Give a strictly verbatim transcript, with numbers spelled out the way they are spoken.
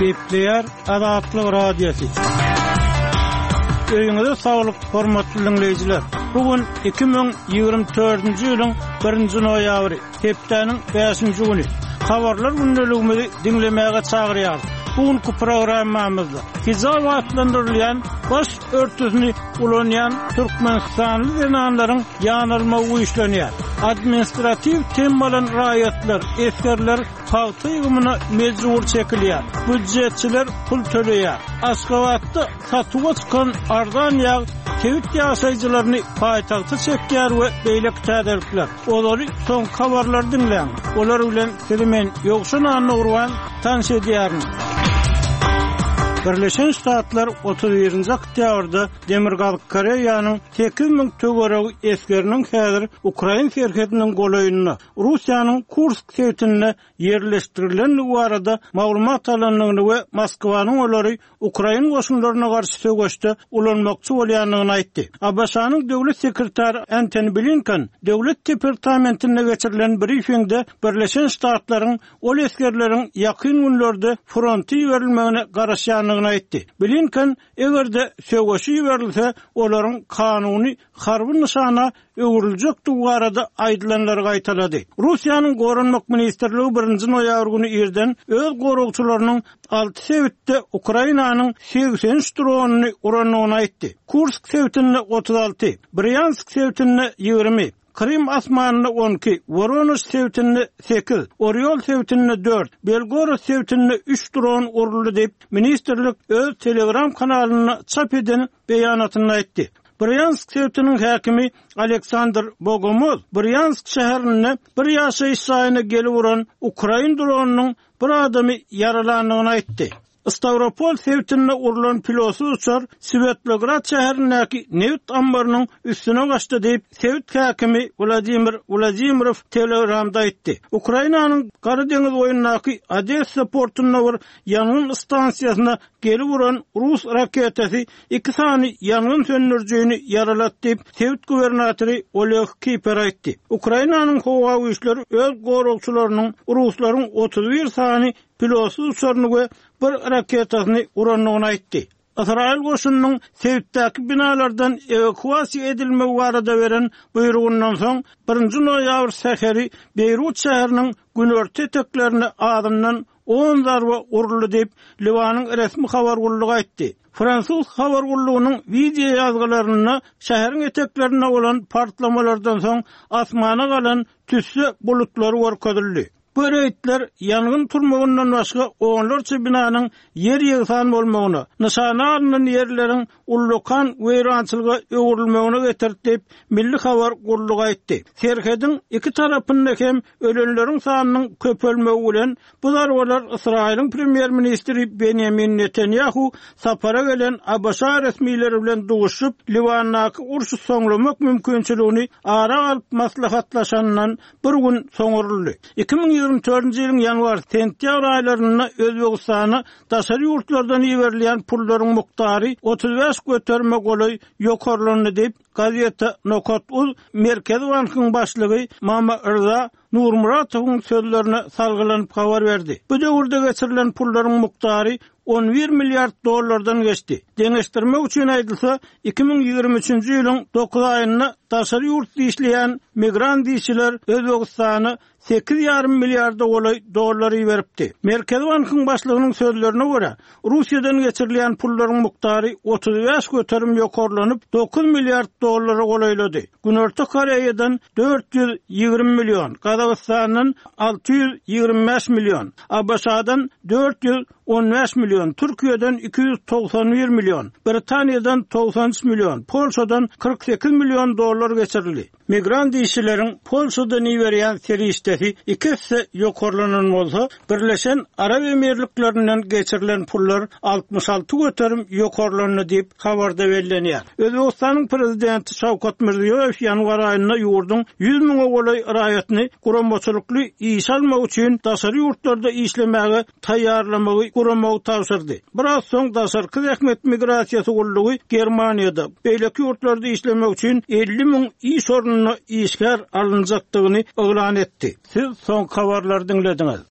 Gepleýär Azatlyk Radiosy. Öýüňize saglyk, hormatly diňleýjiler. Bu gün iki müň ýigrimi dördünji ýylyň birinji noýabry, hepdäniň bäşinji güni. Habarlar gündeligimizi diňlemäge çagyrýarys. Bu günki programmamyzda hijab atlandyrylýan baş örtüsini ulanýan türkmenistanly zenanlaryň ýanalmagy güýçlenýär. Administratiw tem alan raýatlar, esgerler pagta ýygymyna mejbur çekilýär. Býujetçiler pul töleýär. Aşgabatda satuwa çykan arzan ýag sebit ýaşaýjylaryny paýtagta çekýär we beýleki täzelikler. Olary soňky habarlary diňläň. Olar bilen sizi men Ýowşan Annagurban tanyş edýärin. Birleşen Ştatlar otuz birinji oktýabrda Demirgazyk Koreýanyň sekiz müň töweregi esgeriniň häzir Ukrain serhediniň golaýynda Russiýanyň Kursk sebitinde ýerleşdirilendigi barada maglumat alandygyny we Moskwanyň olary Ukrain goşunlaryna garşy söweşde ulanmakçy bolýandygyny aýtdy. A B Ş-nyň döwlet sekretary Antony Blinken döwlet departamentinde geçirilen briefingde Birleşen Ştatlaryň ol esgerleriň ýakyn günlerde fronta iberilmegine garaşýandygyny aýtdy. Blinken eger-de söweşi iberilse, olaryň kanuny harby nyşana öwrüljekdigi barada aýdylanlary gaýtalady. Russiýanyň Goranmak ministrligi birinji noýabr güni irden öz goragçylarynyň alty sebitde Ukrainanyň segsen üç dronyny urandygyny aýtdy. Kursk sebitinde otuz alty, Bryansk sebitinde ýigrimi, Krym asmanynda on iki, Woronež sebitinde sekiz, Oryol sebitinde dört, Belgorod sebitinde üç dron uruldy diýip, ministrlik öz Telegram kanalynda çap eden beýanatynda aýtdy. Bryansk sebitiniň häkimi Aleksandr Bogomoz Bryansk şäherinde bir ýaşaýyş jaýyna gelip uran Ukrain dronynyň bir adamy ýaralandygyny aýtdy. Stavropol sebitinde urulan pilotsyz uçar Svetlograd şäherindäki neft ammarynyň üstüne gaçdy diýip, sebit häkimi Wladimir Wladimirow Telegramda aýtdy. Ukrainanyň Gara deňiz boýundaky Odessa portunda bir ýangyn stansiýasyna gelip uran rus raketasy iki sany ýangyn söndürijini ýaralatdy diýip, sebit gubernatory Oleg Kiper aýtdy. Ukrainanyň howa güýçleri öz goragçylarynyň ruslaryň otuz bir sany pilotsyz uçaryny we bir raketasyny urandygyny aýtdy. Ysraýyl goşunynyň sebitdäki binalardan ewakuasiýa edilmegi barada beren buýrugyndan soň birinji noýabr säheri Beýrut şäheriniň günorta eteklerine azyndan on zarba uruldy diýip, Liwanyň resmi habar gullugy aýtdy. Fransuz habar gullugynyň wideo ýazgylarynda şäheriň eteklerinde bolan partlamalardan soň asmana galan tüsse bulutlary görkezildi. Bu reýdler ýangyn turmagyndan başga onlarça binanyň ýer ýegsan bolmagyna, nyşana alynan ýerleriň ullakan weýrançylyga öwrülmegine getirdi diýip, Milli habar gullugy aýtdy. Serhediň iki tarapynda hem ölenleriň sanynyň köpelmegi bilen bu zarbalar Ysraýylyň premýer-ministri Benjamin Netanyahu sapara gelen A B Ş resmileri bilen duşup, Liwandaky urşy soňlamak mümkinçiligini ara alyp maslahatlaşandan bir gün soňuruldy. Iki müň ýigrimi dördünji ýylyň ýanwar sentýabr aýlarynda Özbegistana daşary ýurtlardan iberilýän pullaryň mukdary otuz bäş göterime golaý ýokarlandy diýip, gazeta Nokat Uz Merkezi bankyň başlygy Mama Rza Nurmuratowyň sözlerine salgylanyp habar berdi. Bu döwürde geçirilen pullaryň mukdary on bir milliard dollardan geçdi. Deňeşdirmek üçin aýdylsa, iki müň ýigrimi üçünji ýylyň dokuz aýynda daşary ýurtda işleýän migrant işçiler Özbegistana sekiz ýarym milliarda golaý dollar iberipdi. Merkezi bankyň başlygynyň sözlerine görä, Russiýadan geçirilýän pullaryň mukdary otuz bäş göterim ýokarlanyp, dokuz milliard dollara golaýlady. Günorta Koreýadan dört ýüz ýigrimi million, Gazagystandan alty ýüz ýigrimi bäş million, A B Ş-dan dört ýüz on bäş million, Türkiýeden iki ýüz togsan bir million, Britaniýadan togsan üç million, Polşadan kyrk sekiz million dollar geçirildi. Migrant işçileriň Polşadan iberýän serişdesi iki esse ýokarlanan bolsa, Birleşen Arap Emirliklerinden geçirilen pullar altmyş alty göterim ýokarlandy diýip habarda bellenýär. Özbegistanyň prezidenti Şawkat Mirziýoýew ýanwar aýynda ýurduň ýüz müňe golaý raýatyny guramaçylykly iş almak üçin daşary ýurtlarda işlemäge taýýarlamagy guramagy tabşyrdy. Biraz soň daşarky zähmet migrasiýasy gullugy Germaniýada beýleki ýurtlarda işlemek üçin elli müň iş ornuna işgär alynjakdygyny yglan etdi. Siz soň habarlary diňlediňiz.